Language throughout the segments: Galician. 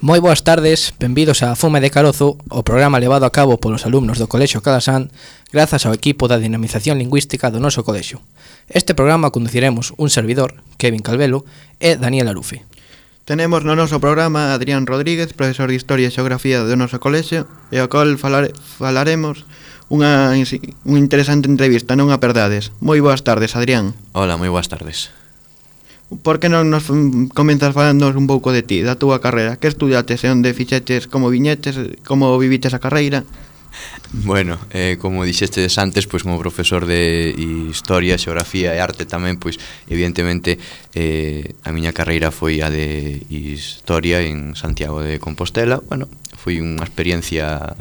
Moi boas tardes, benvidos a Fume de Carozo, o programa levado a cabo polos alumnos do Colexio Calasán grazas ao equipo da dinamización lingüística do noso colexio. Este programa conduciremos un servidor, Kevin Calvelo, e Daniel Arufe. Tenemos no noso programa a Adrián Rodríguez, profesor de Historia e Xeografía do noso colexio, e ao qual falaremos unha interesante entrevista, non a perdades. Moi boas tardes, Adrián. Hola, moi boas tardes. Por que non nos comenzas falándonos un pouco de ti, da túa carreira? Que estudiates e onde fixeches, como viñeches, como viviches a carreira? Bueno, como dixestes antes, pois como profesor de Historia, Xeografía e Arte tamén, pois evidentemente a miña carreira foi a de Historia en Santiago de Compostela. Bueno, foi unha experiencia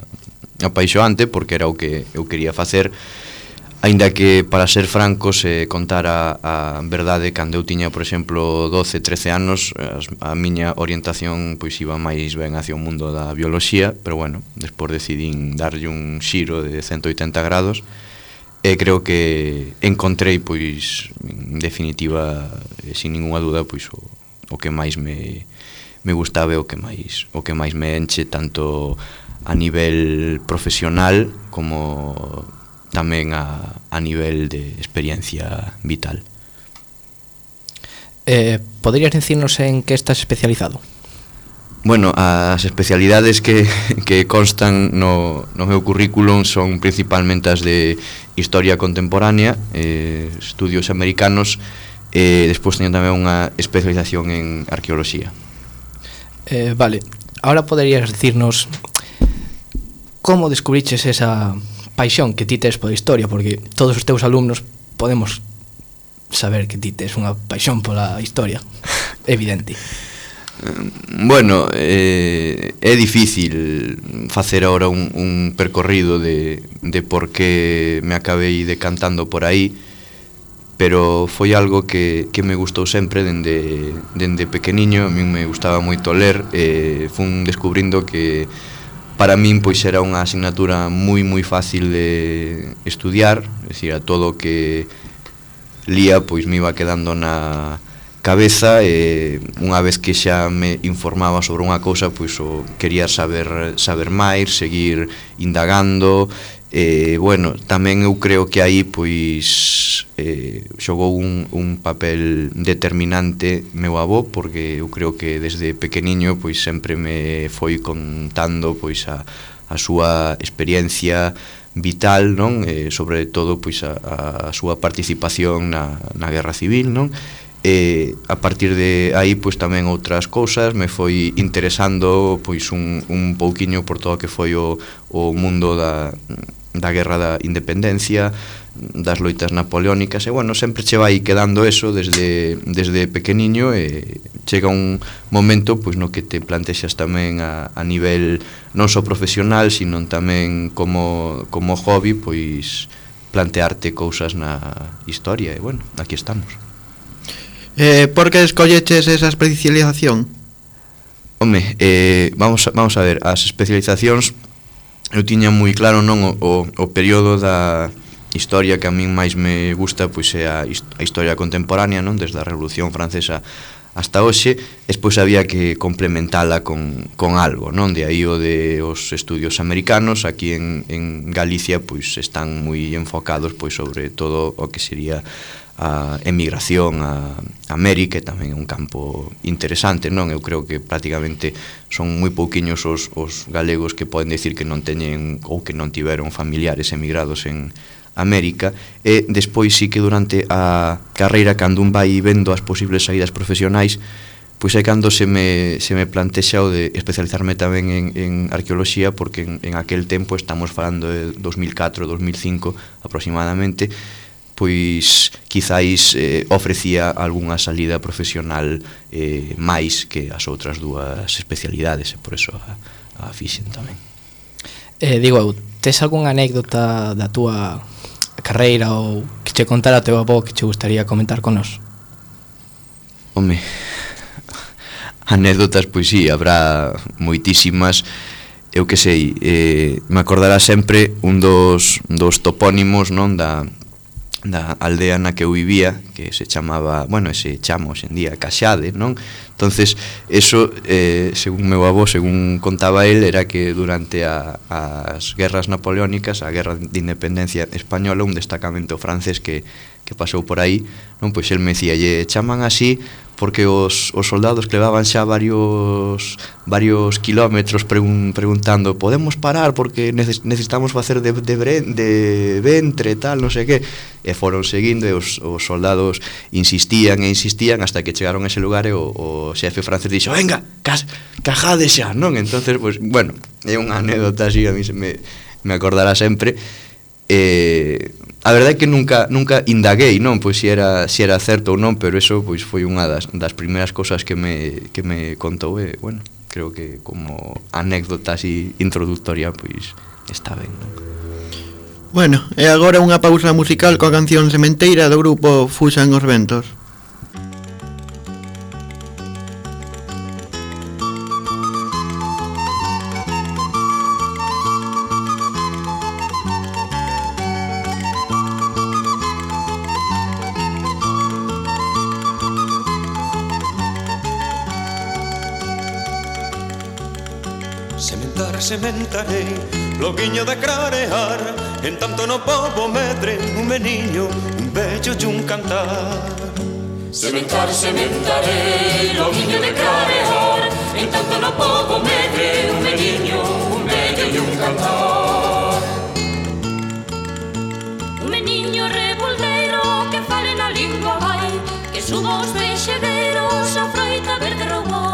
apaixoante porque era o que eu quería facer. Aínda que, para ser francos, contar a verdade, cando eu tiña, por exemplo, 12, 13 anos, a miña orientación pois iba máis ben hacia o mundo da bioloxía, pero bueno, despois decidín darlle un xiro de 180 grados e creo que encontrei, pois, en definitiva, sin ninguna duda, pois o que máis me gustaba e o que máis me enche, tanto a nivel profesional como tamén a nivel de experiencia vital. Poderías dicirnos en que estás especializado? Bueno, as especialidades que constan no meu currículum son principalmente as de Historia Contemporánea, estudios americanos, e despois teño tamén unha especialización en Arqueoloxía. Vale, ahora poderías dicirnos como descubriches esa paixón que ti tes pola historia, porque todos os teus alumnos podemos saber que ti tes unha paixón pola historia, evidente. Bueno, é difícil facer agora un percorrido de por que me acabei decantando por aí, pero foi algo que me gustou sempre dende pequeniño. A min me gustaba moito ler, fun descubrindo que para min pois era unha asignatura moi fácil de estudiar, é dicir, a todo o que lía pois me iba quedando na cabeza, e unha vez que xa me informaba sobre unha cousa, pois quería saber máis, seguir indagando. Bueno, tamén eu creo que aí pois xogou un papel determinante meu avó, porque eu creo que desde pequeniño pois sempre me foi contando pois a súa experiencia vital, non? Sobre todo pois a súa participación na Guerra Civil, non? A partir de aí pois tamén outras cousas me foi interesando pois un pouquiño por todo o que foi o mundo da Guerra da Independencia, das loitas napoleónicas, e bueno, sempre che vai quedando eso desde pequeniño, e chega un momento pois no que te plantexas tamén a nivel non só profesional, sino tamén como hobby, pois plantearte cousas na historia, e bueno, aquí estamos. Por que escolleches esa especialización? Home, vamos a ver, as especializacións eu tiña moi claro, non, o período da historia que a min máis me gusta pois é a historia contemporánea, non, desde a Revolución Francesa hasta hoxe. Despois había que complementala con algo, non, de aí o de os estudios americanos. Aquí en Galicia pois están moi enfocados pois sobre todo o que sería a emigración a América, e tamén é un campo interesante, non? Eu creo que prácticamente son moi pouquiños os galegos que poden decir que non teñen ou que non tiveron familiares emigrados en América. E despois sí que durante a carreira, cando un vai vendo as posibles saídas profesionais, pois é cando se me plantexa o de especializarme tamén en arqueoloxía, porque en aquel tempo, estamos falando de 2004, 2005 aproximadamente, pois quizáis ofrecía algunha salida profesional máis que as outras dúas especialidades, e por eso a fixen tamén. Digo eu, tes algunha anécdota da túa carreira ou que che contara o teu avó que che gustaría comentar con nós? Home, anécdotas, pois sí, habrá moitísimas. Eu que sei, me acordará sempre un dos topónimos, non, da da aldea na que eu vivía, que se chamaba, bueno, se chama hoxe en día Caxade, non? Entonces, eso, según meu avó, según contaba el, era que durante as guerras napoleónicas, a guerra de independencia española, un destacamento francés que pasou por aí, non? Pois el me decía, lle chaman así porque os soldados que levaban xa varios kilómetros preguntando, podemos parar porque necesitamos facer de ventre, tal, non sei que, e foron seguindo e os soldados insistían hasta que chegaron a ese lugar e o xefe francés dixo, venga, cajade xa, non? Entonces, pues, bueno, é unha anécdota así, a mí se me acordará sempre. A verdade é que nunca indaguei, non, pois se era certo ou non, pero eso pois foi unha das primeiras cousas que me contou e, bueno, creo que como anécdota así introductoria, pois está ben, non? Bueno, e agora unha pausa musical coa canción Sementeira do grupo Fuxan os Ventos. Sementarei, loguiño de clarear, en tanto no pobo medre un meniño, un bello e un cantar. Sementarei, loguiño de clarear, en tanto no pobo medre un meniño, un bello e un cantar. Un meniño revoldeiro que fale na lingua vai, que suba os vexedeiros a froita verde roubou.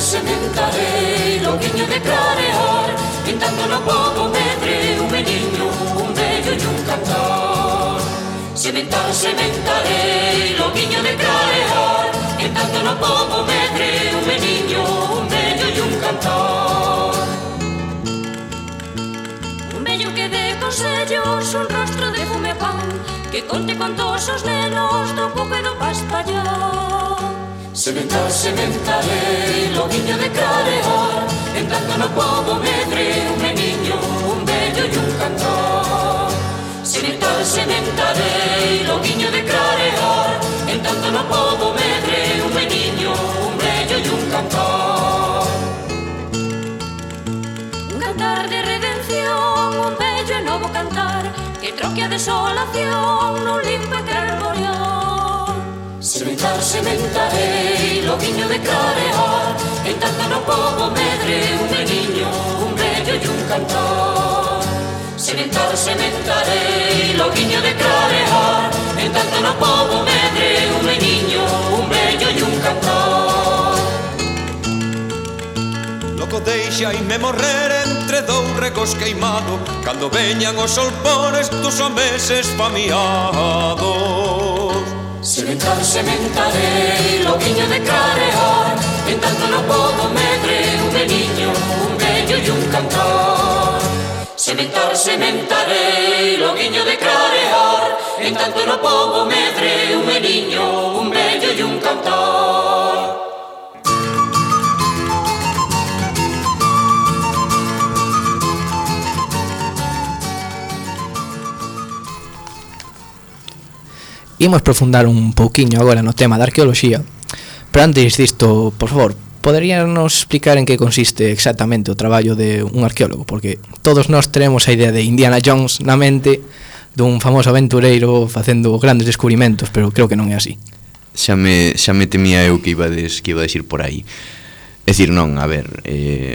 Sementarei, loguiño de clarear, en tanto no pobo medre un meniño, un bello e un cantar. Sementarei, loguiño de clarear, en tanto no pobo medre un meniño, un bello e un cantar. Un bello que dé consellos, un rostro de fume pan, que conte contos os nenos do pouco e do paspallar. Sementarei, loguiño de clarear, en tanto no pobo medre un meniño, un bello e un cantar. Sementarei, loguiño de clarear, en tanto no pobo medre un meniño, un bello e un cantar. Un cantar de redención, un bello e novo cantar, que troque a desolación nun limpo e carborear. Sementarei, loguiño de clarear, en tanto no pobo medre un meniño, un bello e un cantar. Sementarei, loguiño de clarear, en tanto no pobo medre un meniño, un bello e un cantar. Loco deixaime morrer entre dous regos queimado, cando veñan os solpones dos homeses famiados. Sementarei, loguiño de clarear, en tanto no pobo medre un meniño, un bello e un cantar. Sementarei, loguiño de clarear, en tanto no pobo medre un meniño, un bello e un cantar. Imos profundar un pouquiño agora no tema da arqueoloxía, pero antes disto, por favor, poderíanos explicar en que consiste exactamente o traballo de un arqueólogo, porque todos nós tenemos a idea de Indiana Jones na mente, dun famoso aventureiro facendo grandes descubrimentos, pero creo que non é así. Xa me temía eu que ibades ir por aí. É dicir, non, a ver,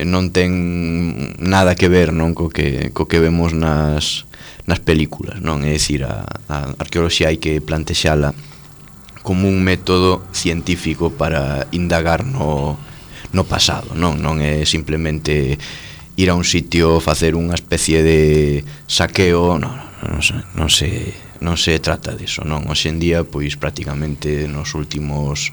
non ten nada que ver, non, co que vemos nas películas, non? É dicir, a arqueoloxía hai que plantexala como un método científico para indagar no pasado, non é simplemente ir a un sitio, facer unha especie de saqueo, non se trata diso, non? Hoxe en día, pois prácticamente nos últimos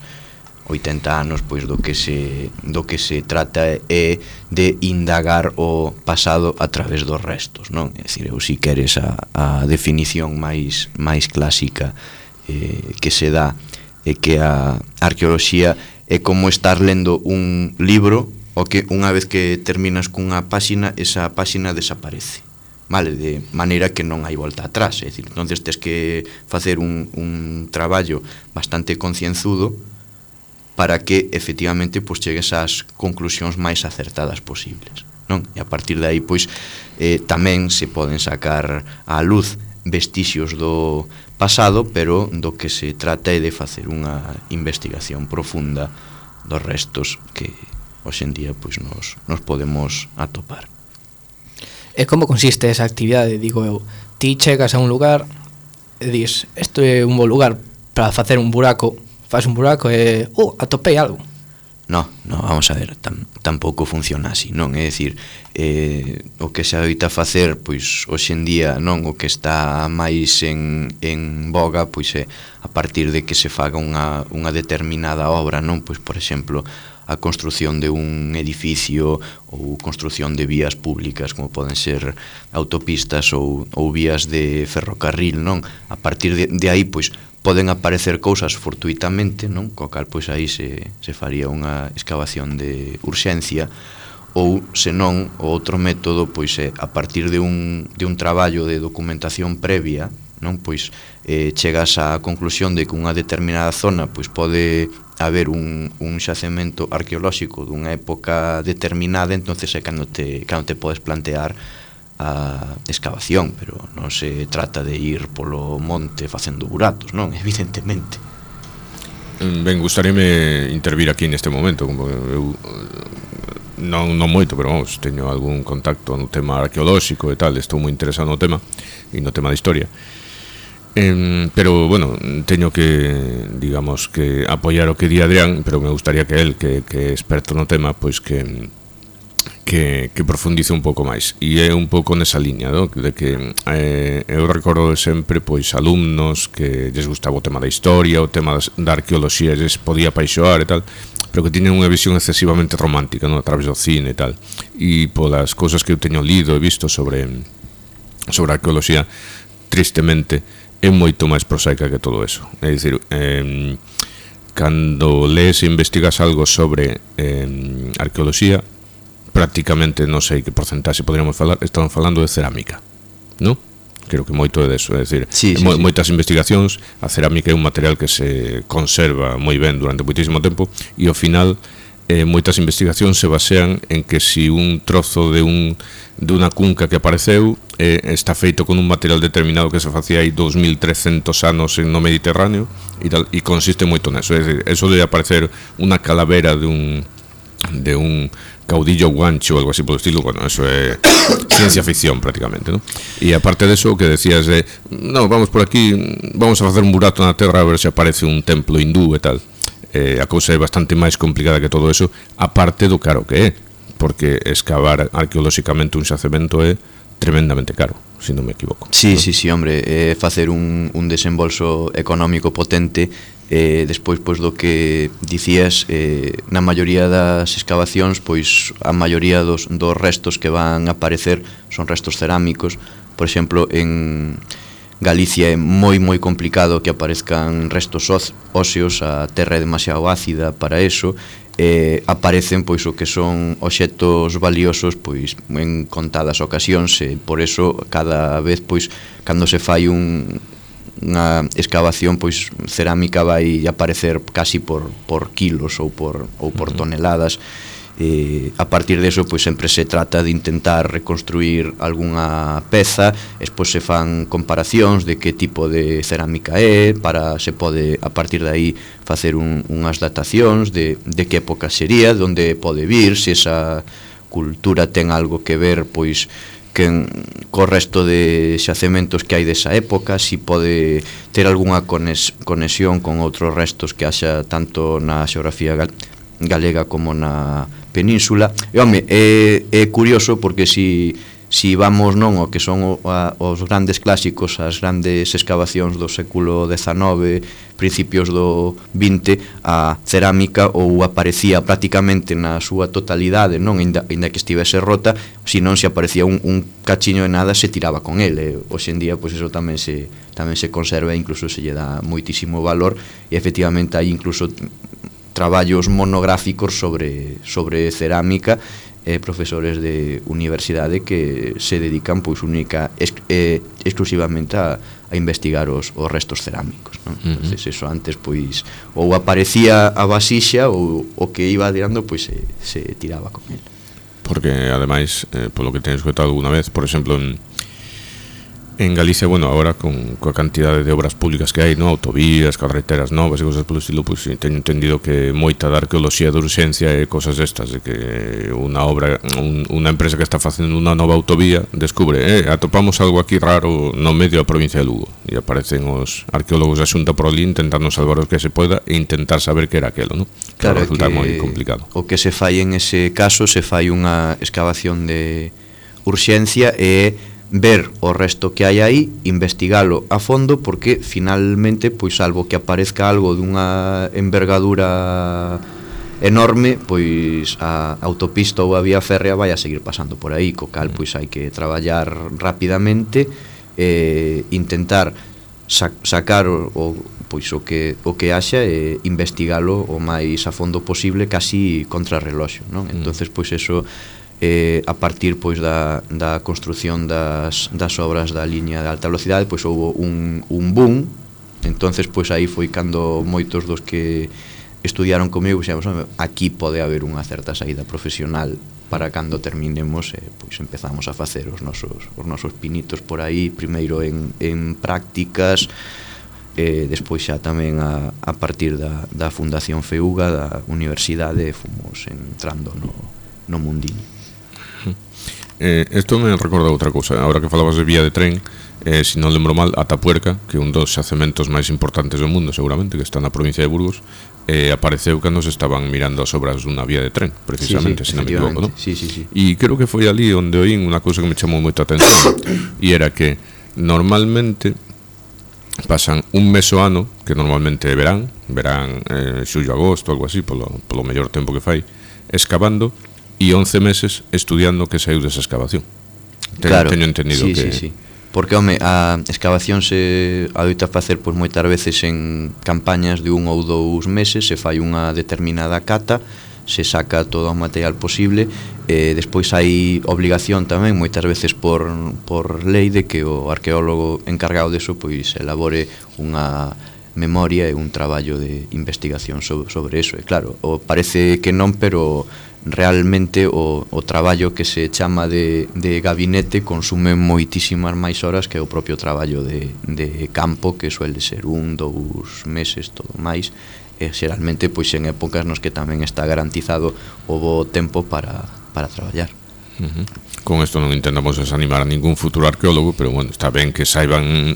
80 anos, pois do que se trata é de indagar o pasado a través dos restos, non? É dicir, eu si queres a definición máis clásica que se dá é que a arqueoloxía é como estar lendo un libro o que unha vez que terminas cunha páxina, esa páxina desaparece, vale, de maneira que non hai volta atrás, é dicir, entonces tes que facer un traballo bastante concienzudo para que efectivamente pois chegues ás conclusións máis acertadas posibles, non? E a partir de aí pois tamén se poden sacar á luz vestixios do pasado, pero do que se trata é de facer unha investigación profunda dos restos que hoxe en día pois nos podemos atopar. E como consiste esa actividade? Digo eu, ti chegas a un lugar e dis, isto é un bo lugar para facer un buraco, faz un buraco e, atopei algo. No, vamos a ver, tampouco funciona así, non? É dicir, o que se adoita facer, pois, hoxe en día, non? O que está máis en boga, pois, é a partir de que se faga unha determinada obra, non? Pois, por exemplo, a construción de un edificio ou construción de vías públicas, como poden ser autopistas ou vías de ferrocarril, non? A partir de aí, pois, poden aparecer cousas fortuitamente, non? Co cal, pois, aí se faría unha excavación de urxencia, ou, senón, o outro método, pois, é a partir de un traballo de documentación previa, non? Pois, chegas á conclusión de que unha determinada zona, pois, pode haber un xacemento arqueolóxico dunha época determinada, entonces é cando te podes plantear a excavación, pero non se trata de ir polo monte facendo buratos, non? Evidentemente. Ben, gustaríame intervir aquí neste momento, como eu non moito, pero vamos, teño algún contacto no tema arqueolóxico e tal, estou moi interesado no tema e no tema de historia. Pero, bueno, teño que, digamos, que apoiar o que di Adrián, pero me gustaría que el, que é experto no tema, pois que profundice un pouco máis. E é un pouco nesa liña, no? De que eu recordo sempre, pois, alumnos que lles gustaba o tema da historia, o tema da arqueoloxía, lles podía apaixoar e tal, pero que tiñen unha visión excesivamente romántica, no? A través do cine e tal. E polas cousas que eu teño lido e visto sobre a arqueoloxía, tristemente, é moito máis prosaica que todo eso. É dicir, cando lees e investigas algo sobre arqueoloxía, prácticamente, non sei que porcentaxe poderíamos falar, estamos falando de cerámica, non? Creo que moito é deso, é dicir, moitas investigacións, a cerámica é un material que se conserva moi ben durante moitísimo tempo, e ao final moitas investigacións se basean en que si un trozo de unha cunca que apareceu está feito con un material determinado que se facía aí 2300 anos no Mediterráneo e tal, e consiste moito neso. É dicir, eso de aparecer unha calavera de un caudillo guancho ou algo así polo estilo, bueno, eso é ciencia ficción prácticamente, ¿no? E aparte de eso, que decías de, no, vamos por aquí, vamos a facer un burato na terra a ver se aparece un templo hindú e tal. A cousa é bastante máis complicada que todo eso, aparte do caro que é, porque excavar arqueolóxicamente un xacemento é tremendamente caro, se non me equivoco. Sí, hombre, facer un desembolso económico potente, despois, pois, do que dicías, na maioría das excavacións, pois, a maioría dos restos que van a aparecer son restos cerámicos. Por exemplo, en Galicia é moi complicado que aparezcan restos óseos, a terra é demasiado ácida para eso, aparecen, pois, o que son obxectos valiosos, pois, en contadas ocasións, e por eso cada vez, pois, cando se fai unha excavación, pois, cerámica vai aparecer casi por kilos ou por toneladas. A partir de eso, pois, sempre se trata de intentar reconstruir algunha peza, despois se fan comparacións de que tipo de cerámica é, para se pode a partir de aí facer unhas datacións de que época sería, de onde pode vir, se esa cultura ten algo que ver, pois, co resto de xacementos que hai desa época, si pode ter algunha conexión con outros restos que haxa tanto na xeografía galega como na península. E, home, é curioso porque si vamos, non, o que son os grandes clásicos, as grandes excavacións do século XIX, principios do XX, a cerámica ou aparecía prácticamente na súa totalidade, non, ainda que estivese rota, se non se aparecía un cachiño de nada, se tiraba con ele. Hoxe en día, pois, eso tamén se conserva e incluso se lle dá moitísimo valor, e efectivamente hai incluso traballos monográficos sobre cerámica, profesores de universidade que se dedican pois exclusivamente a investigar os restos cerámicos, non? Entonces eso antes pois ou aparecía a vasixa ou o que iba tirando pois se tiraba con el. Porque ademais, polo que teño escoitado alguna vez, por exemplo, en Galicia, bueno, agora coa cantidade de obras públicas que hai, no, autovías, carreteras novas e cosas polo estilo, pois teño entendido que moita da arqueoloxía de urxencia e cosas destas, de que unha empresa que está facendo unha nova autovía descubre, atopamos algo aquí raro no medio da provincia de Lugo, e aparecen os arqueólogos da Xunta por ali intentando salvar o que se poida e intentar saber que era aquelo, non? Claro, resulta moi complicado. O que se fai en ese caso, se fai unha excavación de urxencia e ver o resto que hai aí, investigalo a fondo, porque finalmente, pois salvo que aparezca algo dunha envergadura enorme, pois a autopista ou a vía férrea vai a seguir pasando por aí, co cal pois hai que traballar rapidamente e intentar sacar pois o que haxa e investigalo o máis a fondo posible, casi contra reloxo, non? Entonces pois eso a partir pois da construción das obras da liña de alta velocidade, pois houve un boom. Entonces pois aí foi cando moitos dos que estudiaron comigo dixemos, aquí pode haber unha certa saída profesional para cando terminemos, pois empezamos a facer os nosos pinitos por aí, primeiro en prácticas, despois xa tamén a partir da Fundación FEUGA da universidade fomos entrando no mundinho. Isto me recorda outra cousa. Ahora que falabas de vía de tren, se non lembro mal, Atapuerca, que é un dos xacementos máis importantes do mundo seguramente, que está na provincia de Burgos, apareceu cando se estaban mirando as obras dunha vía de tren, precisamente, se non me equivoco, non? Sí. E creo que foi ali onde oín unha cousa que me chamou moita atención, e era que normalmente pasan un mes o ano, que normalmente é verán, xullo, agosto, algo así, polo mellor tempo que fai, excavando, e 11 meses estudiando que saiu desa excavación. Teño entendido que... Sí. Porque, home, a excavación se adoita facer pois moitas veces en campañas de 1 ou 2 meses, se fai unha determinada cata, se saca todo o material posible, despois hai obligación tamén moitas veces por lei de que o arqueólogo encargado deso pois elabore unha memoria e un traballo de investigación sobre eso. E claro, parece que non, pero realmente o traballo que se chama de gabinete consume moitísimas máis horas que o propio traballo de campo, que suele ser 1, 2 meses, todo máis, e xeralmente pois en épocas nos que tamén está garantizado o bo tempo para traballar. Con isto non intentamos desanimar a ningún futuro arqueólogo, pero bueno, está ben que saiban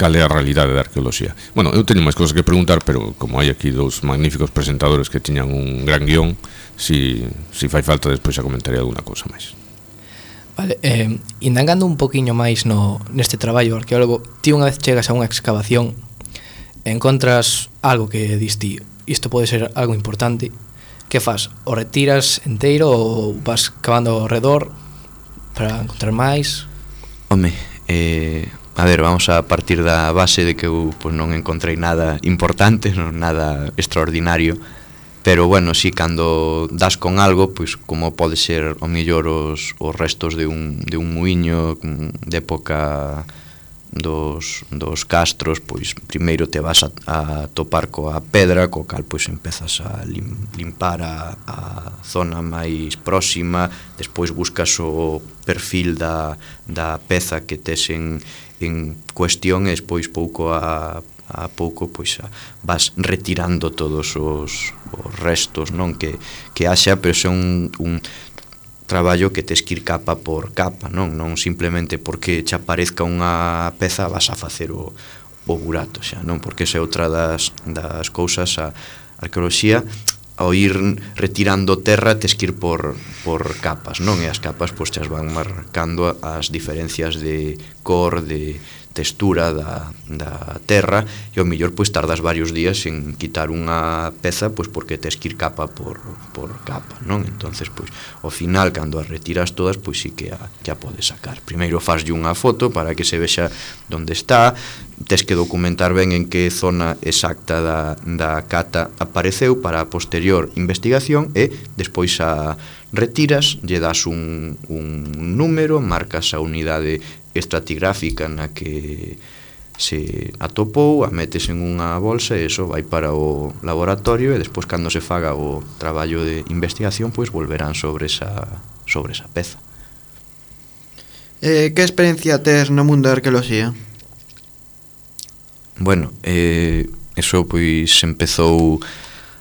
cal é a realidade da arqueoloxía. Bueno, eu teño máis cosas que preguntar, pero como hai aquí dous magníficos presentadores que tiñan un gran guión, si fai falta despois xa comentaré alguna cousa máis. Vale, indagando un poquinho máis neste traballo arqueólogo, ti unha vez chegas a unha excavación, encontras algo que diste, isto pode ser algo importante, que faz? O retiras enteiro ou vas cavando ao redor para encontrar máis? Home, a ver, vamos a partir da base de que eu pois, non encontrei nada importante, nada extraordinario, pero bueno, si cando das con algo, pois como pode ser ao mellor os restos de un muiño de época dos castros, pois primeiro te vas a topar coa pedra, co cal pois empezas a limpar a zona máis próxima, despois buscas o perfil da peza que tes en cuestión e despois pouco a pouco pois vas retirando todos os restos, non que haxa, pero é un traballo que tes que ir capa por capa, non simplemente porque che aparezca unha peza vas a facer o burato, xa, non? Porque esa é outra das cousas, a arqueoloxía, ao ir retirando terra tes que ir por capas, non? E as capas pois chas van marcando as diferencias de cor, de textura da terra, e ao mellor pois tardas varios días en quitar unha peza pois porque tes que ir capa por capa, non? Entonces pois ao final cando as retiras todas pois sí que a podes sacar. Primeiro faslle unha foto para que se vexa onde está, tes que documentar ben en que zona exacta da cata apareceu para a posterior investigación, e despois a retiras, lle das un número, marcas a unidade estratigráfica na que se atopou, a metes en unha bolsa e iso vai para o laboratorio, e despois cando se faga o traballo de investigación pois volverán sobre esa peza. Que experiencia tes no mundo da arqueoloxía? Bueno, eso pois empezou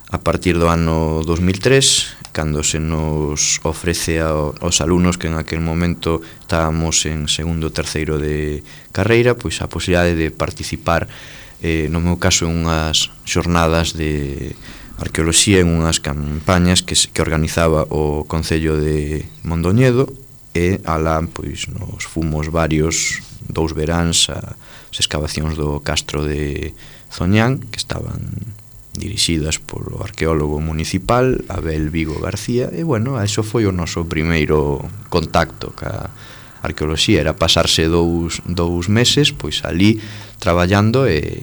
a partir do ano 2003, cando se nos ofrece aos alumnos que en aquel momento estábamos en segundo ou terceiro de carreira, pois a posibilidade de participar, no meu caso, en unhas xornadas de arqueoloxía, en unhas campañas que organizaba o Concello de Mondoñedo, e alá pois nos fomos varios, 2 veráns, as excavacións do Castro de Zoñán, que estaban dirixidas polo arqueólogo municipal Abel Vigo García, e bueno, eso foi o noso primeiro contacto ca arqueoloxía. Era pasarse dous meses pois ali traballando e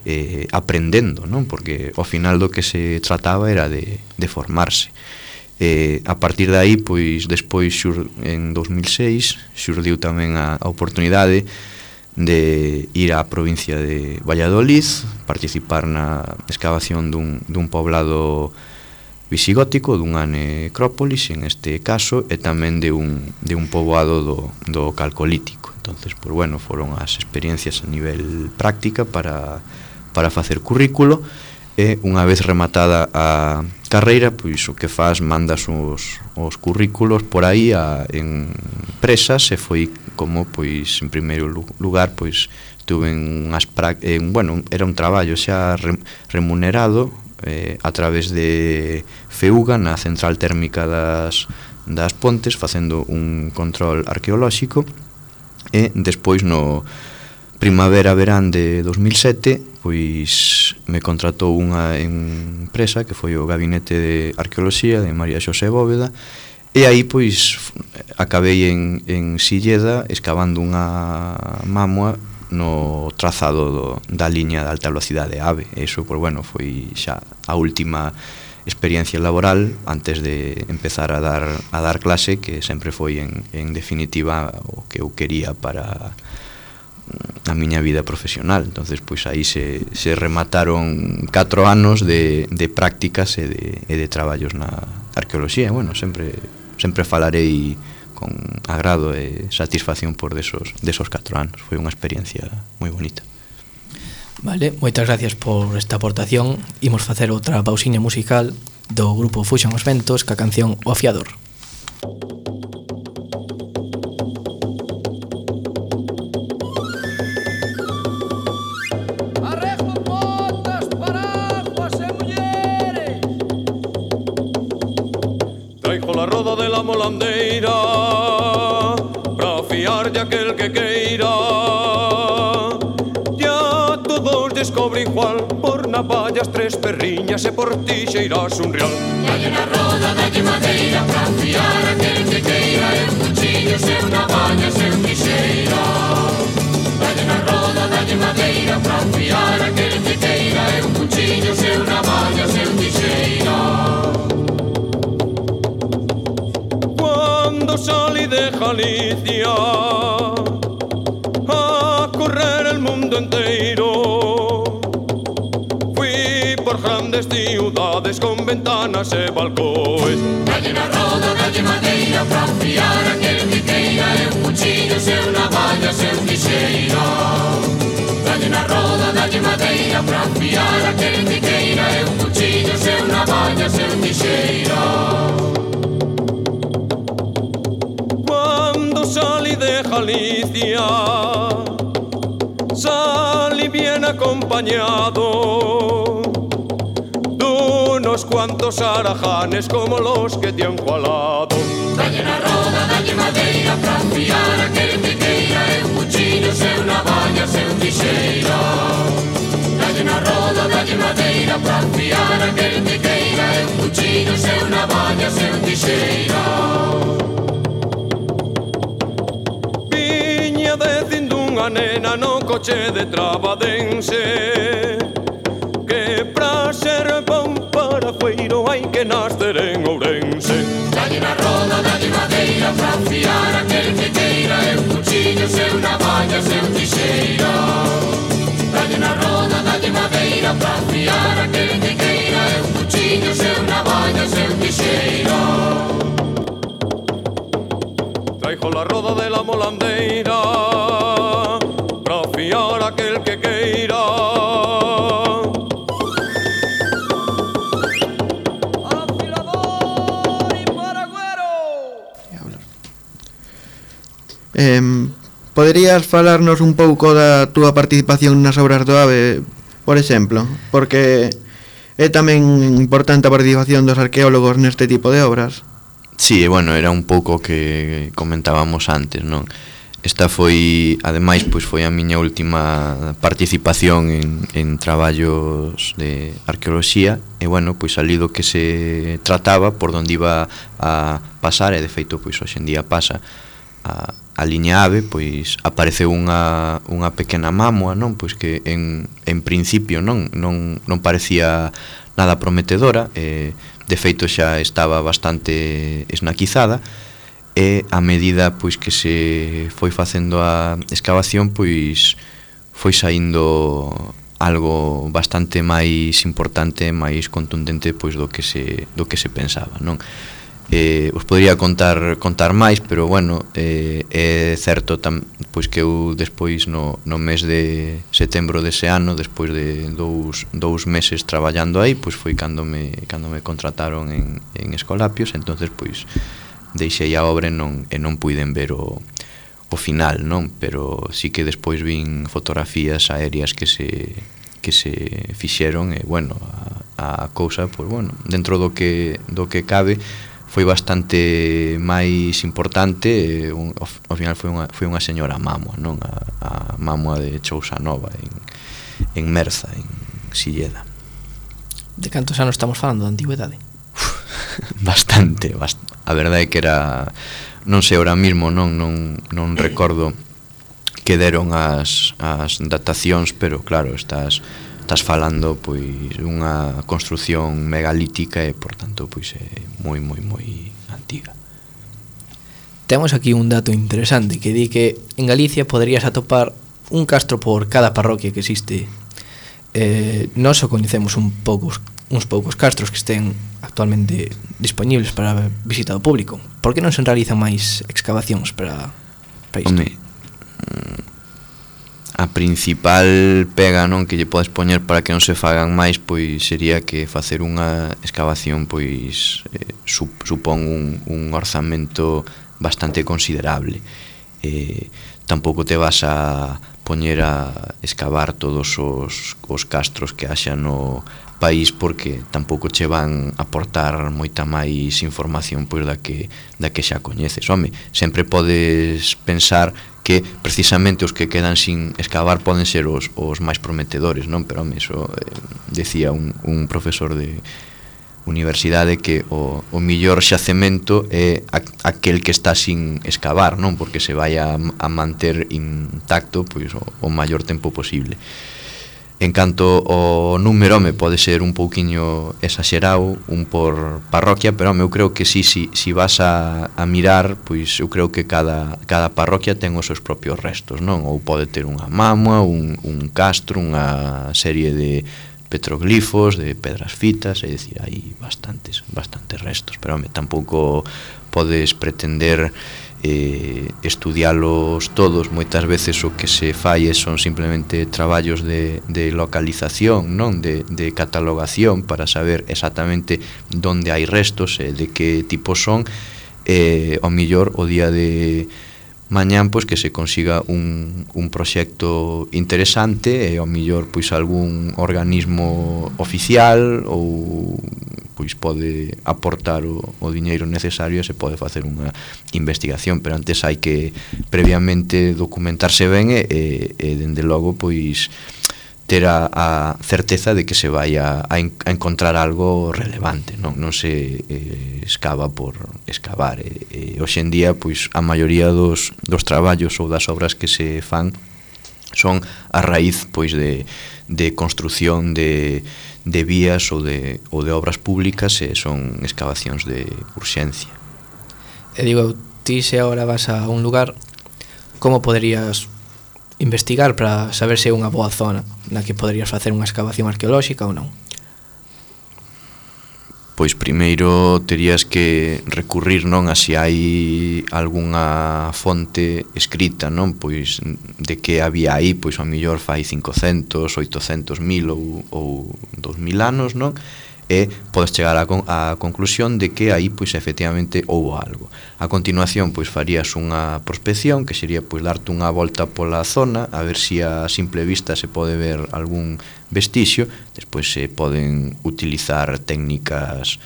aprendendo, non? Porque ao final do que se trataba era de formarse. A partir de aí, pois despois en 2006 xurdiu tamén a oportunidade de ir á provincia de Valladolid, participar na excavación dun poblado visigótico, dunha necrópolis en este caso, e tamén de un poboado do Calcolítico. Entonces, pues bueno, foron as experiencias a nivel práctica para facer currículo, e unha vez rematada a carreira, pois o que faz, mandas os currículos por aí en empresas, e foi como, pois, en primeiro lugar, pois, estuve en unhas bueno, era un traballo xa remunerado a través de FEUGA na central térmica das Pontes, facendo un control arqueolóxico, e despois no primavera-verán de 2007 pois me contratou unha empresa que foi o Gabinete de Arqueoloxía de María Xosé Bóveda, e aí pois acabei en Silleda escavando unha mámoa no trazado da liña de alta velocidade AVE. E iso, pois bueno, foi xa a última experiencia laboral antes de empezar a dar clase, que sempre foi en definitiva o que eu quería para a miña vida profesional. Entonces, pois aí se remataron 4 anos de prácticas e de traballos na arqueoloxía. Bueno, sempre falarei con agrado e satisfacción por desos 4 anos. Foi unha experiencia moi bonita. Vale, moitas gracias por esta aportación. Imos facer outra pausiña musical do grupo Fuxan os Ventos ca canción O Afiador. La roda de la molandeira pra fiar de aquel que queira. Ya todos descobre igual, por navallas 3 perriñas e por tixeiras un real. Dalle na roda, dalle madeira pra fiar aquel que queira, e un cuchillo, seu navalla, seu tixeira. Dalle na roda, dalle madeira pra fiar aquel que queira, e un cuchillo, seu navalla, seu tixeira. Salí de Galicia a correr el mundo entero. Fui por grandes ciudades con ventanas e balcóes. Dalle na roda, dalle madeira pra fiar aquel que queira, e un cuchillo, seu navalla, seu tixeira. Dalle na roda, dalle madeira pra fiar aquel que queira, e un cuchillo, seu navalla, seu tixeira. Salí de Galicia, salí bien acompañado de unos cuantos arajanes como los que te han jalado. Dalle na roda, dalle madeira pra fiar aquel que queira, e un cuchillo, seu navalla, seu tixeira. Dalle na roda, dalle madeira pra fiar aquel que queira, e un cuchillo, seu navalla, seu tixeira. Decindo unha nena no coche de Trabadense, que pra ser bon parafueiro hai que nacer en Ourense. Dalle na roda, dalle madeira, pra fiar aquel que queira, eu cuchillo, seu navalla, seu tixeira. Dalle na roda, dalle madeira, pra fiar aquel que queira, eu cuchillo, seu navalla, seu tixeira. Traigo la roda de la molandeira pra fiar aquel que queira. Afilador y paragüero. Poderías falarnos un pouco da túa participación nas obras do AVE, por exemplo? Porque é tamén importante a participación dos arqueólogos neste tipo de obras. Sí, bueno, era un pouco que comentábamos antes, non? Esta foi, ademais, pois foi a miña última participación en traballos de arqueoloxía e, bueno, pois ali do que se trataba, por onde iba a pasar, e de feito, pois hoxe en día pasa a liña AVE, pois apareceu unha pequena mámoa, non? Pois que en principio non parecía nada prometedora, de feito xa estaba bastante esnaquizada e a medida pois que se foi facendo a excavación pois foi saindo algo bastante máis importante, máis contundente pois do que se pensaba, non? Os podría contar máis, pero bueno, é certo pois que eu despois no mes de setembro dese ano, despois de dous meses traballando aí, pois foi cando me contrataron en Escolapios, entonces pois deixei a obra e non puiden ver o final, non? Pero sí que despois vin fotografías aéreas que se fixeron e bueno, a cousa, pois bueno, dentro do que cabe foi bastante máis importante, ao final foi unha señora mámoa, non? A mámoa de Chousa Nova en Merza, en Silleda. De cantos anos estamos falando da antigüedade? Bastante. A verdade é que era, non sei ahora mismo, non recordo que deron as datacións, pero claro, estás falando pois unha construción megalítica e por tanto pois é moi antiga. Temos aquí un dato interesante que di que en Galicia poderías atopar un castro por cada parroquia que existe. Nós só coñecemos uns poucos castros que estén actualmente dispoñibles para visita do público. Por que non se realizan máis excavacións para isto? Home, a principal pega, non, que lle podes poñer para que non se fagan máis, pois sería que facer unha excavación pois supón un orzamento bastante considerable. Tampouco te vas a poñer a excavar todos os castros que haxa no país, porque tampouco che van a aportar moita máis información pois da que xa coñeces. Home, sempre podes pensar que precisamente os que quedan sin excavar poden ser os máis prometedores, non? Pero home, eso decía un profesor de universidade que o millor xacemento é aquel que está sin excavar, non? Porque se vai a manter intacto pois o maior tempo posible. En canto ao número, home, pode ser un pouquiño exagerado, un por parroquia, pero home, eu creo que si vas a mirar, pois eu creo que cada parroquia ten os seus propios restos, non? Ou pode ter unha mámoa, un castro, unha serie de petroglifos, de pedras fitas, é dicir, hai bastantes restos, pero home, tampouco podes pretender estudialos todos. Moitas veces o que se fai son simplemente traballos de localización, non? De catalogación para saber exactamente onde hai restos e de que tipo son, ao millor o día de mañán pois que se consiga un proxecto interesante e ao millor pois algún organismo oficial ou pois pode aportar o diñeiro necesario e se pode facer unha investigación, pero antes hai que previamente documentarse ben e dende logo pois ter a certeza de que se vai a encontrar algo relevante, non se escava por excavar. Hoxe en día pois a maioría dos traballos ou das obras que se fan son a raíz pois de construción de vías ou de obras públicas, e son excavacións de urxencia. E digo, ti se agora vas a un lugar, como poderías investigar para saber se é unha boa zona na que poderías facer unha excavación arqueolóxica ou non? Pois primeiro terías que recurrir, non, a se hai algunha fonte escrita, non, pois de que había aí, pois ao mellor fai 500, 800 mil ou 2000 anos, non? E podes chegar á conclusión de que aí pois efectivamente houbo algo. A continuación pois farías unha prospección, que sería pois darte unha volta pola zona, a ver se a simple vista se pode ver algún vestixio. Despois se poden utilizar técnicas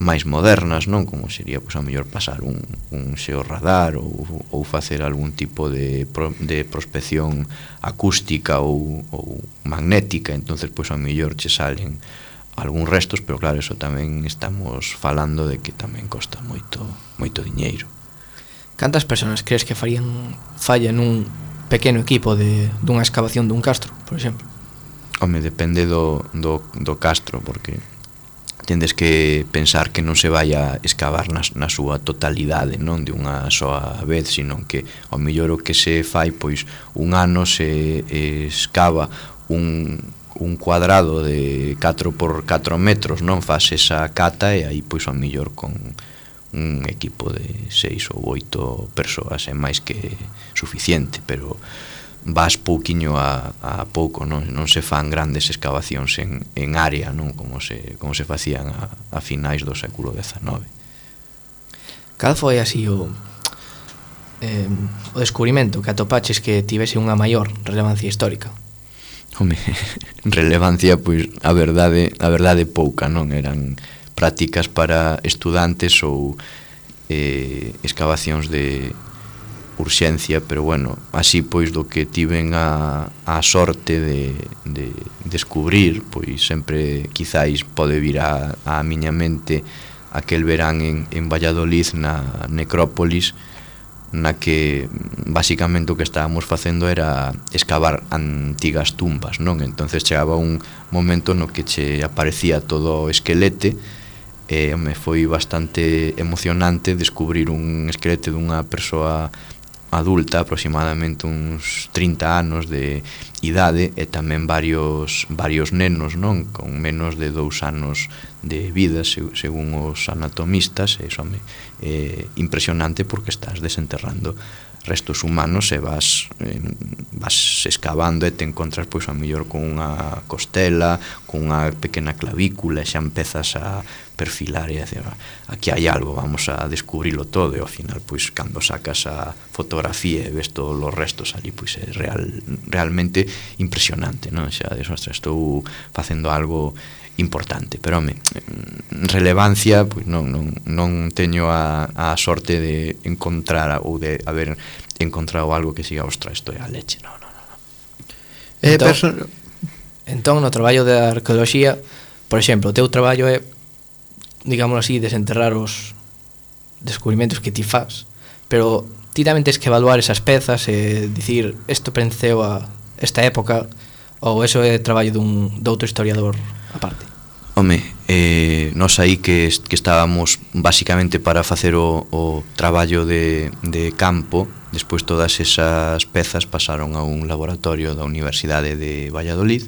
máis modernas, non, como sería pois a mellor pasar un xeorradar ou facer algún tipo de prospección acústica ou magnética. Entonces pois a mellor che salen algúns restos, pero claro, eso tamén estamos falando de que tamén costa moito diñeiro. Cantas persoas crees que falla nun pequeno equipo dunha excavación dun castro, por exemplo? Home, depende do castro, porque tendes que pensar que non se vai a excavar na súa totalidade, non de unha soa vez, sino que ao mellor o que se fai, pois un ano se excava un cuadrado de 4 por 4 metros, non, faz esa cata, e aí pois ao mellor con un equipo de 6 ou 8 persoas é máis que suficiente, pero vas pouquiño a pouco, non se fan grandes excavacións en área, non, como se facían a finais do século XIX. Cal foi así o descubrimento que atopaches que tivese unha maior relevancia histórica? Home, relevancia, pois a verdade pouca, non? Eran prácticas para estudantes ou excavacións de urxencia, pero bueno, así pois do que tiven a sorte de descubrir, pois sempre quizáis pode vir a miña mente aquel verán en Valladolid, na necrópolis, na que basicamente o que estábamos facendo era excavar antigas tumbas, non? Entonces chegaba un momento no que che aparecía todo o esquelete, e me foi bastante emocionante descubrir un esquelete dunha persoa adulta, aproximadamente uns 30 anos de idade, e tamén varios nenos, non, con menos de 2 anos de vida, según os anatomistas. E iso é impresionante, porque estás desenterrando restos humanos e vas excavando, e te encontras pois a mellor con unha costela, con unha pequena clavícula, e xa empezas a perfilar e a decir, aquí hai algo, vamos a descubrilo todo. E ao final pois cando sacas a fotografía e ves todos os restos ali, pois é realmente impresionante, non? Xa estou facendo algo importante, pero home, relevancia, pois non teño a sorte de encontrar ou de haber encontrado algo que siga, ostras, isto é a leche, non. Entón, no traballo de arqueoloxía, por exemplo, o teu traballo é, digámoslo así, desenterrar os descubrimentos que ti faz, pero ti tamén tens que evaluar esas pezas e dicir, isto pertenceu a esta época, ou eso é traballo de outro historiador aparte? Home, nós aí que estábamos basicamente para facer o traballo de campo, despois todas esas pezas pasaron a un laboratorio da Universidade de Valladolid.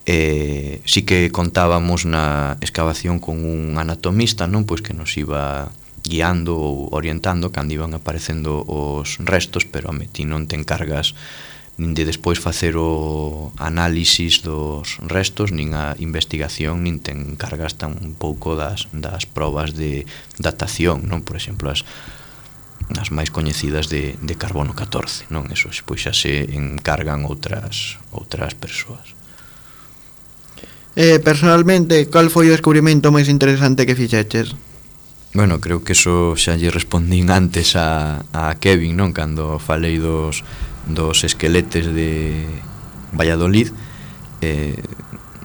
Sí que contábamos na excavación con un anatomista, non, pois que nos iba guiando ou orientando cando iban aparecendo os restos, pero home, ti non te encargas nin de despois facer o análisis dos restos, nin a investigación, nin te encargas tan pouco das probas de datación, non? Por exemplo, as máis coñecidas de carbono 14, non? Eso pois xa se encargan outras persoas. Personalmente, cal foi o descubrimento máis interesante que fixeches? Bueno, creo que eso xa lle respondín antes a Kevin, non? Cando falei dos esqueletes de Valladolid,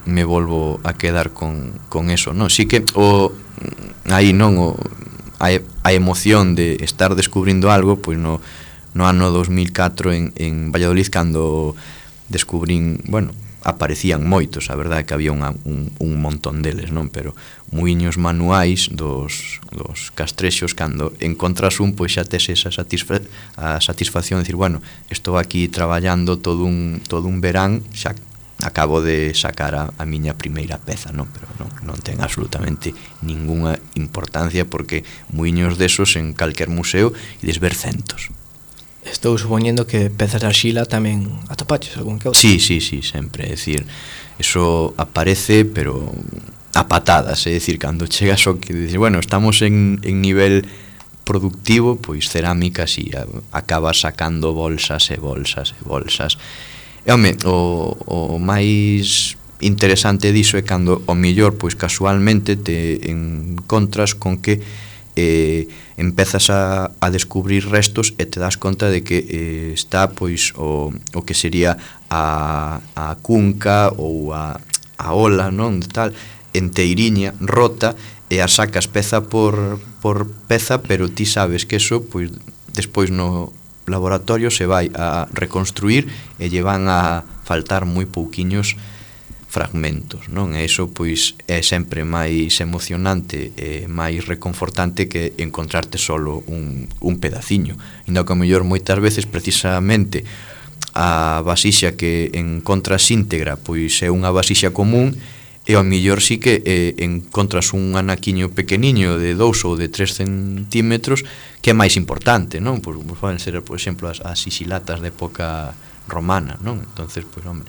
me volvo a quedar con eso, non? Sí que aí non a emoción de estar descubrindo algo, pois no no ano 2004 en Valladolid, cando descubrín, bueno, aparecían moitos, a verdade é que había un montón deles, non? Pero muiños manuais dos castrexos, cando encontras un, pois xa tes esa satisfacción de decir, bueno, estou aquí traballando todo un verán, xa acabo de sacar a miña primeira peza, non? Pero non ten absolutamente ningunha importancia, porque muiños desos en calquer museo ides ver centos. Estou supoñendo que pezas de arxila tamén atopaches algún que outro. Sí, sempre, é dicir, eso aparece, pero a patadas, é dicir, cando chegas ao que dices, bueno, estamos en nivel productivo, pois cerámica, si, acabas sacando bolsas e bolsas e bolsas. E, home, o máis interesante diso é cando, ao mellor, pois casualmente te encontras con que empezas a descubrir restos e te das conta de que está pois o que sería a cunca ou a ola, non, tal, enteiriña, rota, e a sacas peza por peza, pero ti sabes que eso pois despois no laboratorio se vai a reconstruir e lle van a faltar moi pouquiños fragmentos, non? E iso pois é sempre máis emocionante e máis reconfortante que encontrarte solo un pedaciño. Ainda que ao mellor moitas veces precisamente a vasixa que encontras íntegra pois é unha vasixa común, e ao mellor sí que encontras un anaquiño pequeniño de 2 ou de 3 centímetros que é máis importante, non? Pois poden ser, por exemplo, as sisilatas de época romana, non? Entonces, pois, hombre,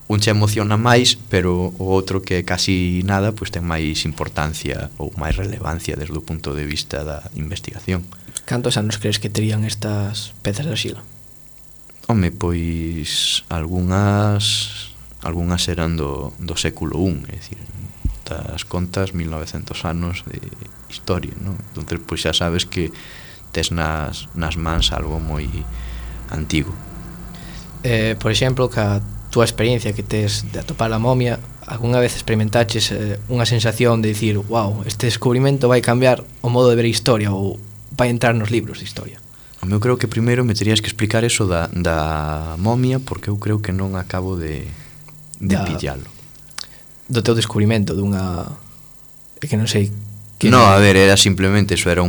un che emociona máis, pero o outro que casi nada pois ten máis importancia ou máis relevancia desde o punto de vista da investigación. Cantos anos crees que terían estas pezas de arxila? Home, pois algunhas eran do século I, é dicir, das contas 1900 anos de historia, non? Entonces pois xa sabes que tes nas mans algo moi antigo. Por exemplo, que a túa experiencia que tes de atopar a momia, algunha vez experimentaches unha sensación de dicir, wow, este descubrimento vai cambiar o modo de ver a historia ou vai entrar nos libros de historia? Eu creo que primeiro me terías que explicar eso da momia, porque eu creo que non acabo de pillalo. Do teu descubrimento dunha... É que non sei... No, a ver, era simplemente eso, era o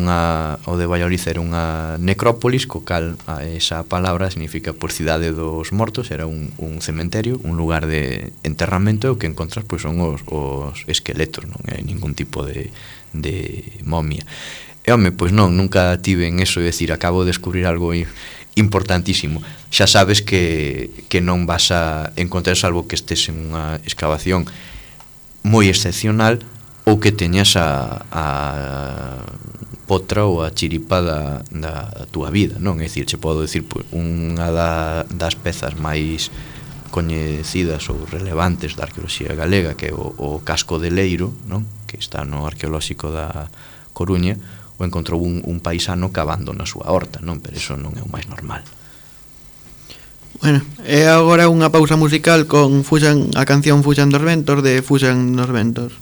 de Valladolid era unha necrópolis, co cal esa palabra significa por cidade dos mortos, era un cementerio, un lugar de enterramento, e o que encontras pois son os esqueletos, non é ningún tipo de momia. E home, pois non, nunca tive en eso de decir, acabo de descubrir algo importantísimo. Xa sabes que non vas a encontrar, salvo que estés en unha excavación moi excepcional, ou que teñas a potra ou a chiripa da túa vida, non? É dicir, che podo dicir unha das pezas máis coñecidas ou relevantes da arqueoloxía galega, que é o casco de Leiro, non? Que está no arqueolóxico da Coruña, o encontrou un paisano cavando na súa horta, non? Pero iso non é o máis normal. Bueno, e agora unha pausa musical con a canción Fuxan dos ventos, de Fuxan dos ventos.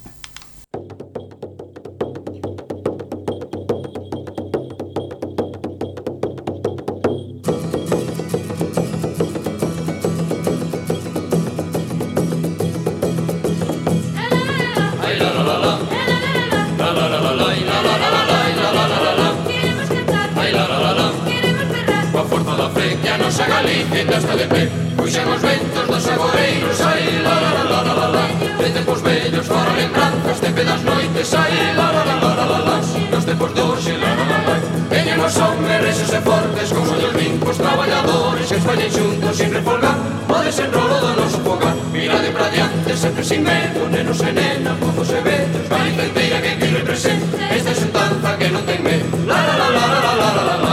Galicia está de pé, puxen os ventos dos agoreiros, ai, la la la la la la la. De tempos vellos fora lembranzas, tempe das noites, ai, la la la la la la la. Nos tempos doxe, la la la la. Veñen os homes rexos e fortes, con ollos limpos, traballadores que escollen xuntos sin refolgar o desenrolo do noso fogar. Mirade pra diante, sempre sin medo, nenos e nenas, mozos e vellos, Galicia inteira que aquí representa esta xuntanza que non ten medo, la la la la la la la la la la.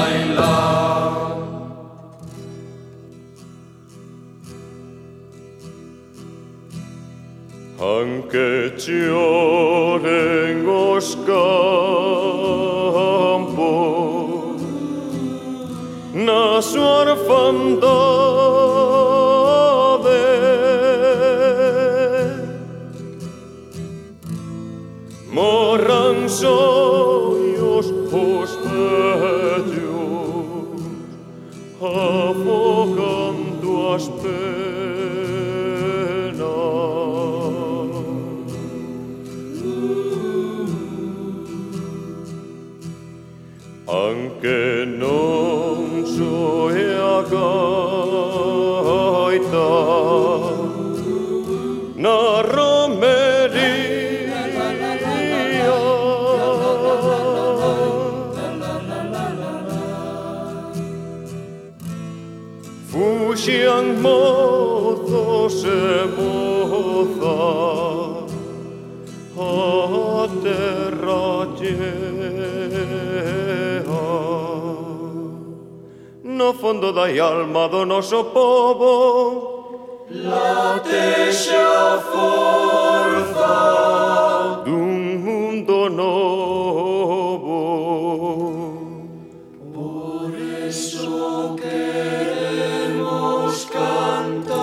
Anche lloren os campos na súa orfandade, morran sonhos os vellos na romería. Fuxian mozos e mozas a terra chea. No fondo da alma do noso povo latexa a forza dun mundo novo. Por eso queremos cantar.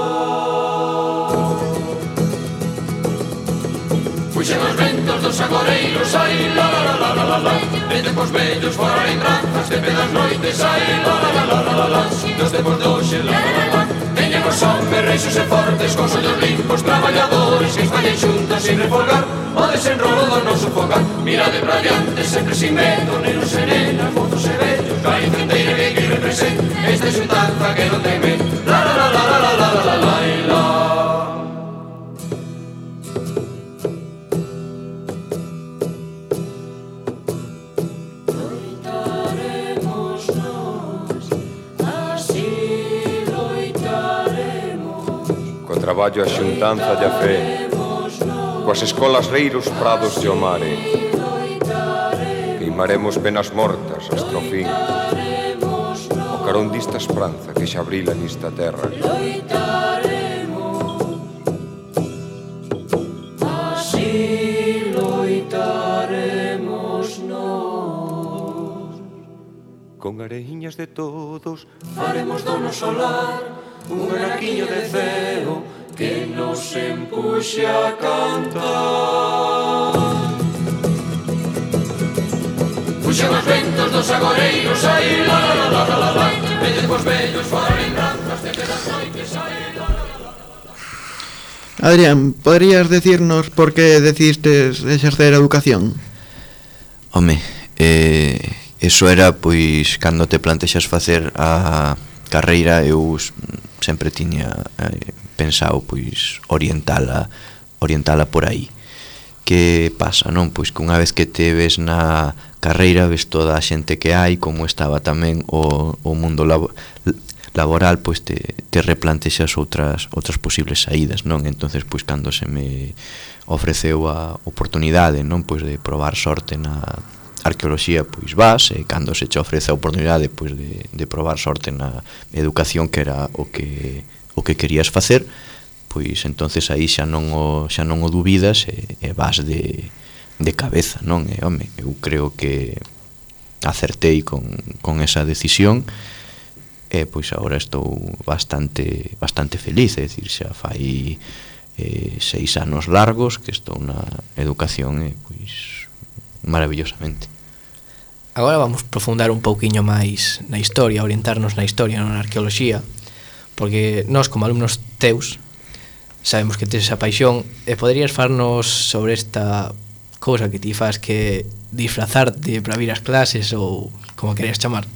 Fuxen os ventos dos agoreiros, ai, la la la la la la. De tempos vellos fora lembranzas de pedas noites, ai, la la la la la la. Dos tempos de hoxe, la la la la. Veñemos homes reixos e fortes, con ollos limpos, traballadores que estallen xuntos sin refolgar o desenrolo do noso fogar. Mirade pra diante, sempre sin medo, nenos e nenas, mozos e vellos, hai fronteira que represente esta xuntanza que non teme. La la la la la la la la la la la. Traballo a xuntanza de a fe, coas escolas reiros prados de o mare. Queimaremos penas mortas hasta o fin, o carón dista esperanza que xa abrila nista terra. Así loitaremos nós. Con areiñas de todos faremos do noso lar un araquiño de ceo que nos empuxe a cantar. Fuxen os ventos dos agoreiros, ai, la la la la la la. Veñen cos vellos fora lembranzas de pedas noites, ai, la la la la. Adrián, poderías decirnos por que decidistes exercer a educación? Home, eso era, pois, cando te plantexas facer a carreira, eu sempre tiña pensado, pois, orientala por aí. Que pasa, non? Pois que unha vez que te ves na carreira, ves toda a xente que hai, como estaba tamén o mundo laboral, pois te replantexas outras posibles saídas, non? Entonces, pois, cando se me ofreceu a oportunidade, non? Pois de probar sorte na arqueoloxía, pois vas, e cando se che ofrece a oportunidade, pois de probar sorte na educación, que era o que querías facer, pois entonces aí xa non o dubidas e vas de cabeza, non? E, home, eu creo que acertei con esa decisión, e pois agora estou bastante feliz, é dicir, xa fai 6 anos largos que estou na educación, e pois maravillosamente. Agora vamos profundar un pouquiño máis na historia, orientarnos na historia, non na arqueoloxía, porque nós, como alumnos teus, sabemos que tes esa paixón, e poderías farnos sobre esta cousa que ti faz, que disfrazarte para vir ás clases, ou como querías chamar.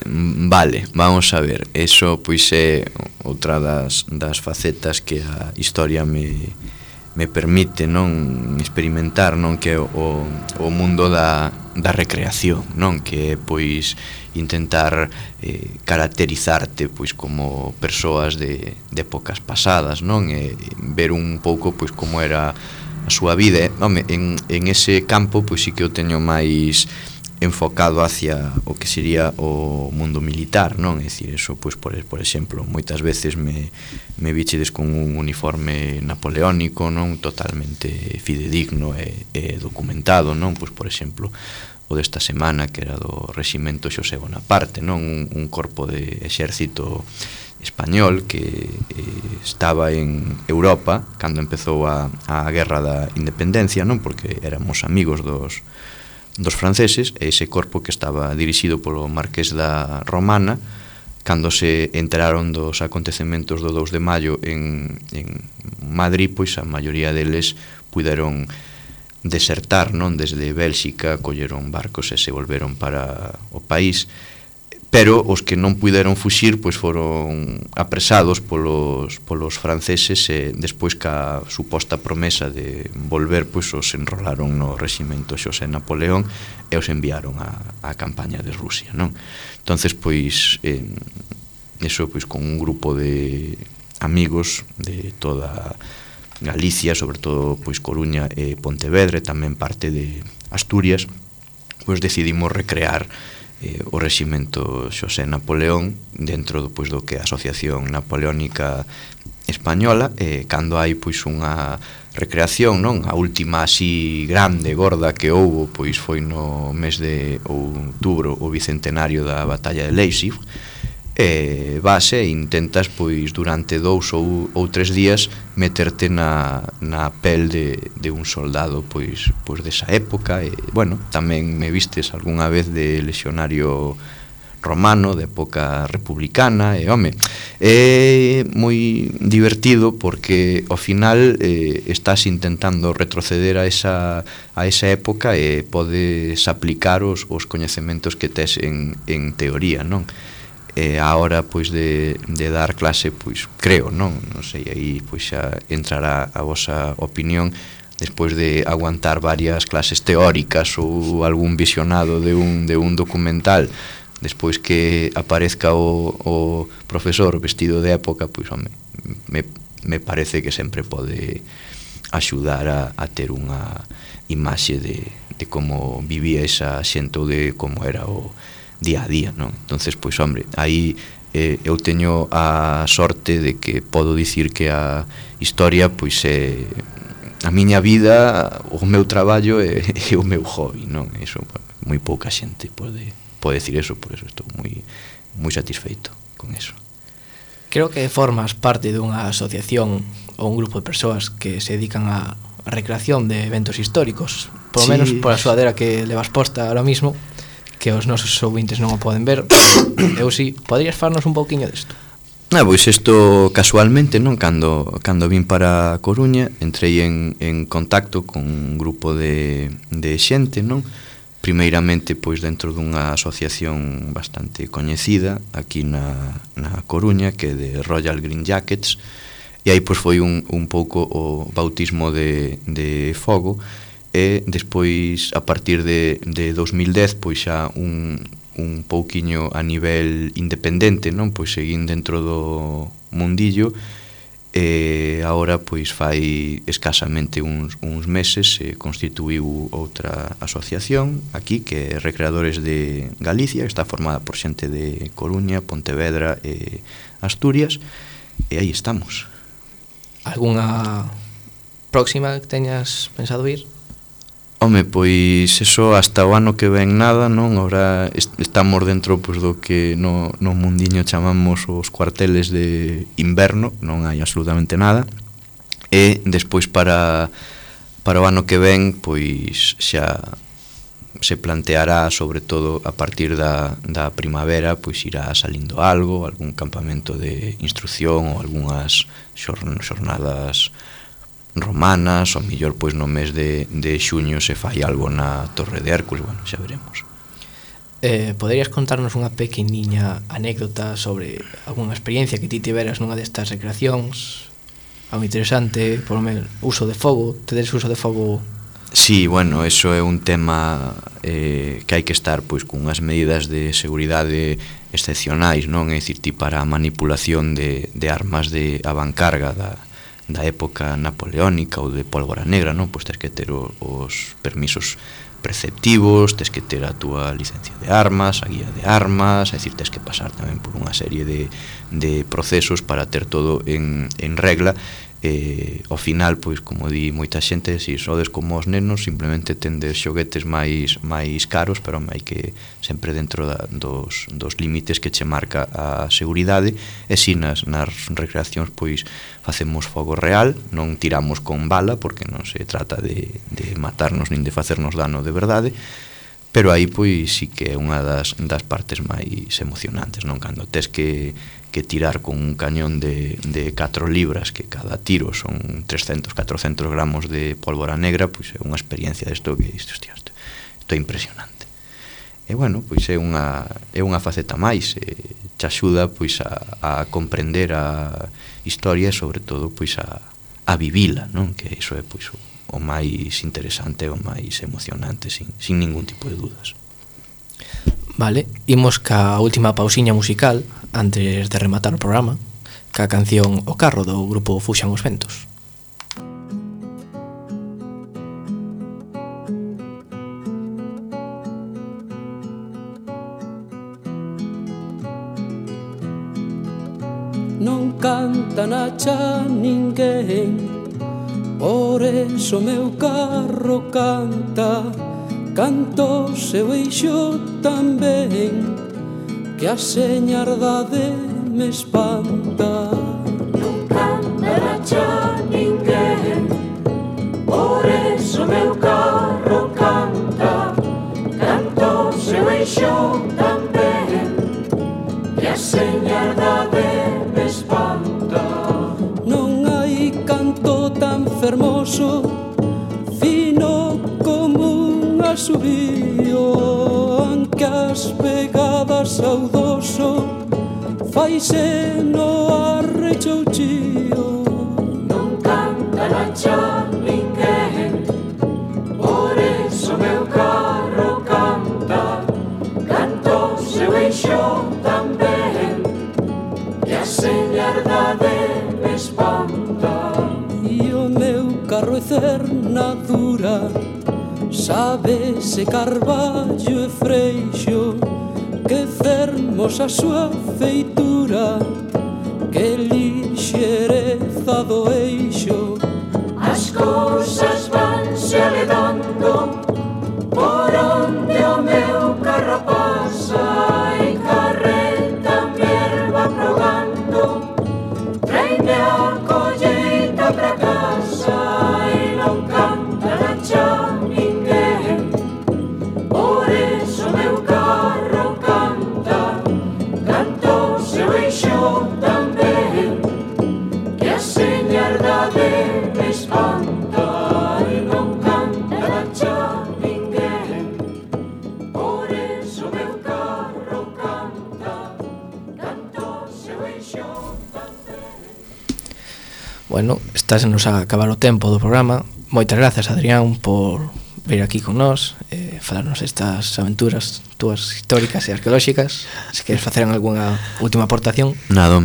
Vale, vamos a ver. Eso, pois, é outra das facetas que a historia me permite, non, experimentar, non, que o mundo da recreación, non, que é, pois, intentar caracterizarte, pois, como persoas de épocas pasadas, non, e ver un pouco, pois, como era a súa vida. Home, en ese campo, pois, sí que eu teño máis enfocado hacia o que sería o mundo militar, non? É dicir, eso, pois, por exemplo, moitas veces me vichedes con un uniforme napoleónico, non? Totalmente fidedigno e documentado, non? Pois, por exemplo, o desta semana, que era do Reximento Xosé Bonaparte, non? Un corpo de exército español que estaba en Europa cando empezou a Guerra da Independencia, non? Porque éramos amigos dos franceses, e ese corpo que estaba dirixido polo Marqués da Romana, cando se enteraron dos acontecementos do 2 de maio en Madrid, pois a maioría deles puderon desertar, non, desde Bélxica, colleron barcos e se volveron para o país, pero os que non puderon fuxir pois foron apresados polos franceses e despois ca suposta promesa de volver pois os enrolaron no reximento Xosé Napoleón e os enviaron á campaña de Rusia, non? Entonces pois eso pois con un grupo de amigos de toda Galicia, sobre todo pois Coruña e Pontevedra, e tamén parte de Asturias, pois decidimos recrear o reximento Xosé Napoleón dentro pois do que é a Asociación Napoleónica Española, e cando hai pois unha recreación, non? A última así grande, gorda que houbo pois foi no mes de outubro, o bicentenario da batalla de Leipzig, e vas e intentas pois durante 2 ou 3 días meterte na pel de un soldado pois desa época. E bueno, tamén me vistes algunha vez de lexionario romano de época republicana, e home, é moi divertido porque ao final estás intentando retroceder a esa época e podes aplicar os coñecementos que tes en teoría, non? E a hora pois de dar clase, pois creo, non sei, aí pois xa entrará a vosa opinión despois de aguantar varias clases teóricas ou algún visionado de un documental, despois que aparezca o profesor vestido de época, pois home, me parece que sempre pode axudar a ter unha imaxe de como vivía esa xente ou de como era o día a día, non? Entonces, pois, hombre, aí eu teño a sorte de que podo dicir que a historia, pois, é a miña vida, o meu traballo e o meu hobby, non? Iso, moi pouca xente pode decir eso, por eso estou moi satisfeito con eso. Creo que formas parte dunha asociación ou un grupo de persoas que se dedican a recreación de eventos históricos, por lo menos por a sudadera que levas posta ahora mismo, que os nosos ouvintes non o poden ver, eu si, podrías farnos un pouquiño desto? Pois isto casualmente, non? Cando vin para Coruña, entrei en contacto con un grupo de xente, non? Primeiramente, pois dentro dunha asociación bastante coñecida aquí na Coruña, que é de Royal Green Jackets, e aí pois foi un pouco o bautismo de fogo. E despois, a partir de 2010, pois xa un pouquiño a nivel independente, non? Pois seguín dentro do mundillo, e agora pois fai escasamente uns meses se constituíu outra asociación aquí, que é Recreadores de Galicia, que está formada por xente de Coruña, Pontevedra e Asturias, e aí estamos. Algúnha próxima que teñas pensado ir? Home, pois eso hasta o ano que ven nada, non? Ahora estamos dentro pois do que no mundiño chamamos os cuarteles de inverno, non hai absolutamente nada. E despois para o ano que ven, pois xa se planteará, sobre todo a partir da primavera, pois irá salindo algún campamento de instrucción ou algunhas xornadas romanas, ou mellor pois no mes de xuño se fai algo na Torre de Hércules, bueno, xa veremos. Poderías contarnos unha pequeniña anécdota sobre algunha experiencia que ti tiveras nunha destas recreacións? Algo interesante, por lo menos, uso de fogo, tedes uso de fogo? Sí, bueno, eso é un tema que hai que estar pois con unhas medidas de seguridade excepcionais, non? É dicir, ti para a manipulación de armas de avancarga da época napoleónica ou de pólvora negra, non? Pois tens que ter os permisos preceptivos, tens que ter a túa licencia de armas, a guía de armas, é dicir, tens que pasar tamén por unha serie de procesos para ter todo en regla. Ao final, pois, como di moita xente, se sodes como os nenos, simplemente tendes xoguetes máis caros, pero hai que sempre dentro dos límites que che marca a seguridade. E si nas recreacións, pois, facemos fogo real, non tiramos con bala, porque non se trata de matarnos nin de facernos dano de verdade, pero aí, pois, sí que é unha das partes máis emocionantes, non? Cando tes que tirar con un cañón de 4 libras, que cada tiro son 300-400 gramos de pólvora negra, pois é unha experiencia desto que, hostia, isto é impresionante. bueno, pois é unha faceta máis, te axuda pois a comprender a historia e sobre todo pois a vivila, non? Que iso é pois o máis interesante, o máis emocionante, sin ningún tipo de dudas. Vale, imos ca última pausiña musical antes de rematar o programa, ca canción O Carro do grupo Fuxan os Ventos. Non canta na cha ninguén, por eso meu carro canta. Canto seu eixo tamén, que a señardade me espanta. Non canta na cha ninguén, por eso meu carro canta. Canto seu eixo tamén, que a señardade me espanta. Non hai canto tan fermoso, fino como un asubío, aunque as pegadas saudoso faise no arrechouchío. Non canta na cha ninguén, por eso meu carro canta. Canto seu eixo tamén, que a señardade me espanta. E o meu carro é cernadura, sábese carballo e freixo, que fermosa súa feitura, que lixereza do eixo. As cousas vanse aledando por onde o meu carro pasa, e carreta mi erva progando, traime a colleita pra casa. E non canta na cha ninguén, por eso meu carro canta. Canto seu eixo tamén, que a señardade me espanta. E non canta na cha ninguén, por eso meu carro canta. Canto seu eixo tamén. Bueno, estásenos a acabar o tempo do programa. Moitas grazas, Adrián, por vir aquí con nós, falarnos estas aventuras túas históricas e arqueolóxicas. Se queres facer algunha última aportación. Nada,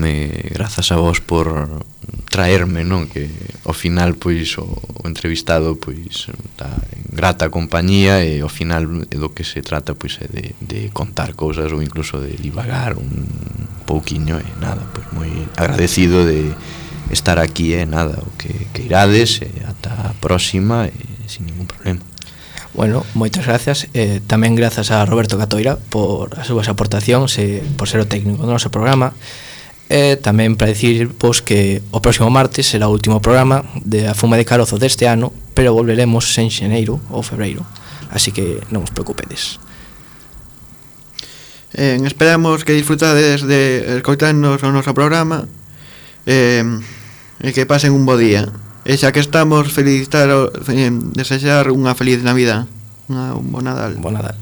grazas a vos por traerme, non? Que ao final pois o entrevistado pois está en grata compañía, e ao final do que se trata pois é de contar cousas ou incluso de divagar un pouquiño, e nada, pois moi agradecido de estar aquí, e nada, o que irades, e ata a próxima, e sin ningún problema. Bueno, moitas gracias, tamén grazas a Roberto Catoira por as súas aportacións e por ser o técnico do noso programa. Tamén para dicirvos que o próximo martes será o último programa de A Fume de Carozo deste ano, pero volveremos en xeneiro ou febreiro, así que non os preocupedes. Esperamos que disfrutades de escoitarnos o noso programa, e que pasen un bo día. E xa que estamos, desexar unha feliz Navidad, un bo Nadal. Bo Nadal.